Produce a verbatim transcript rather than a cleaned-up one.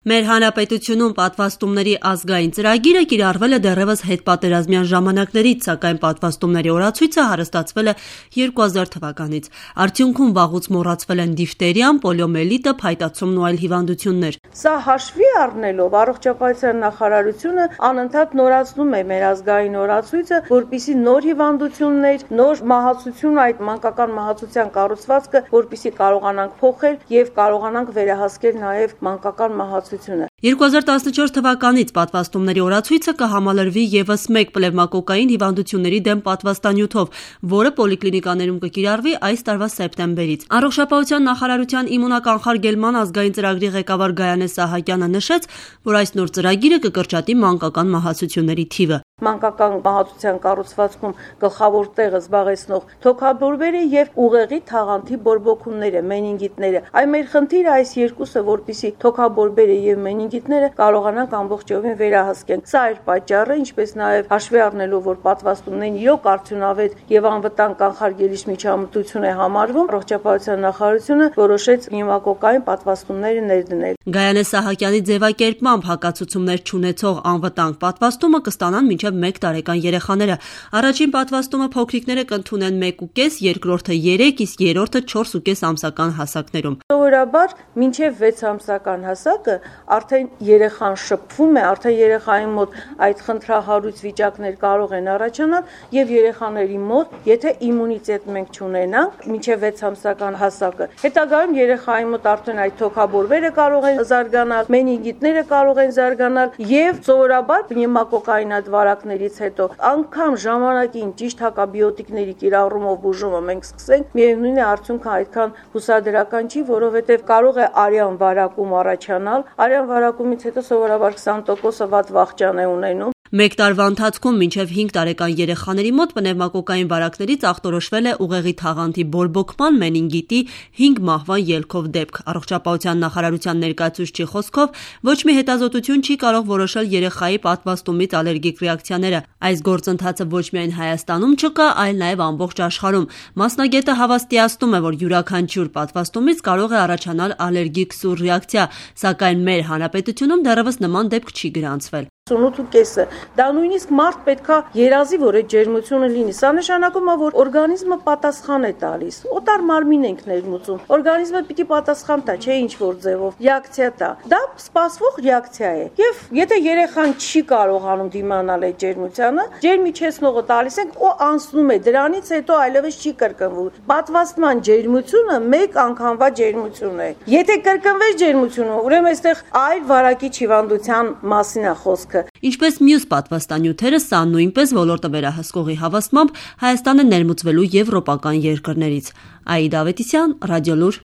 Մեր հանրապետությունում պատվաստումների ազգային ծրագիրը կիրառվել է դեռևս հետպատերազմյան ժամանակներից, սակայն պատվաստումների օրացույցը հարստացվել է երկու հազար թվականից։ Արդյունքում վաղուց մոռացվել են դիֆտերիան, պոլիոմիելիտը, փայտացումն ու այլ հիվանդություններ։ Սա հաշվի առնելով առողջապահության նախարարությունը անընդհատ նորացնում է մեր ազգային օրացույցը, որպեսզի նոր հիվանդություններ, նոր մահացություն, այդ մանկական մահացության կառուցվածքը, որպեսզի կարողանանք փոխել եւ կարողանանք վերահասկել նաեւ մանկական մահացությունը։ երկու հազար տասնչորս թվականից պատվաստումների օրացույցը կհամալրվի ևս մեկ պնևմակոկային հիվանդությունների դեմ պատվաստանյութով, որը պոլիկլինիկաներում կկիրառվի այս տարվա սեպտեմբերից։ Առողջապահության նախարարության իմունականխարգելման ազգային ծրագրի ղեկավար Գայանե Սահակյանը նշեց, որ այս նոր ծրագիրը կկրճատի մանկական մահացությունների թիվը։ Մանկական մահացության կառուցվածքում գլխավոր տեղը զբաղեցնող թոքաբորբերը եւ ուղեղի թաղանթի բորբոքումները, մենինգիտները։ Այ մեր խնդիրը այս երկուսը, որպեսզի թոքաբորբերը եւ մենինգիտները կարողանանք ամբողջովին վերահասկեն։ Սա էր պատճառը, ինչպես նաեւ հաշվի առնելով, որ պատվաստումներն իրոք արդյունավետ եւ անվտանգ կանխարգելիչ միջամտություն է համարվում, առողջապահության նախարարությունը որոշեց պնևմակոկային պատվաստումները ներդնել։ Գայանե Սահակյանի ձևակերպմամբ հակացուցումներ չունեցող անվտանգ պատվաստումը կստանան մինչև մեկ տարեկան երեխաները։ Առաջին պատվաստումը փոքրիկները կընդունեն մեկ ու կես, երկրորդը երեք, իսկ երրորդը չորս ու կես ամսական հասակներում։ Սովորաբար մինչև վեց ամսական հասակը արդեն երեխան շփվում է, արդեն երեխայի մոտ այդ խնդրահարույց վիճակներ կարող են առաջանալ եւ երեխաների մոտ, եթե իմունիտետ մենք չունենանք մինչև վեց ամսական հասակը, հետագայում երեխայի մոտ արդեն այդ թոքաբորբերը կարող են զարգանալ, մենինգիտները կարող են զարգանալ եւ սովորաբար պնևմակոկային այդ վարակներից հետո անգամ ժամանակին ճիշտ հակաբիոտիկների կիրառումով բուժումը մենք սկսենք, միևնույն է արդյունքը այդքան հուսադրական չի, որովհետեւ կարող է արյան վարակում առաջանալ, արյան վարակումից հետո սովորաբար քսան տոկոսը վատ վախճան է ունենում։ Մեկ տարվա ընթացքում մինչև հինգ տարեկան երեխաների մոտ պնևմակոկային վարակներից ախտորոշվել է ուղեղի թաղանթի բորբոքման, մենինգիտի հինգ մահվան ելքով դեպք։ Առողջապահության նախարարության ներկայացուցչի խոսքով ոչ մի հետազոտություն չի կարող որոշել երեխայի պատվաստումից ալերգիկ ռեակցիաները։ Այս գործընթացը ոչ միայն Հայաստանում չկա, այլ նաև ամբողջ աշխարհում։ Մասնագետը հավաստիացնում է, որ յուրաքանչյուր պատվաստումից կարող է առաջանալ ալերգիկ սուր ռեակցիա, սակայն մեր հանրապետությունում դեռևս նման դեպք չի գրանցվել։ ութ կեսը դա նույնիսկ մարդ պետքա երազի, որ այդ ջերմությունը լինի։ Սա նշանակում է, որ օրգանիզմը պատասխան է տալիս։ Օտար մարմին ենք ներմուծում։ Օրգանիզմը պիտի պատասխան տա, չէ՞ ինչ որ ձևով ռեակցիա տա։ Դա սպասվող ռեակցիա է։ Եվ եթե երեխան չի կարողանում դիմանալ այդ ջերմությանը, ջերմիչեցնողը տալիս ենք ու անցնում է։ Դրանից հետո այլևս չի կրկնվում։ Պատվաստման ջերմությունը մեկ անգամվա ջերմություն է։ Եթե կրկնվեց ջերմությունը, ուրեմն այստեղ այլ վարակիչ հիվանդության մասին է խոսքը։ Ինչպես մյուս պատվաստանյութերը, սա նույնպես ոլորտը վերահսկողի հավաստմամբ Հայաստանը ներմուծվելու եվրոպական երկրներից։ Աիդա Ավետիսյան, Ռադիոլուր։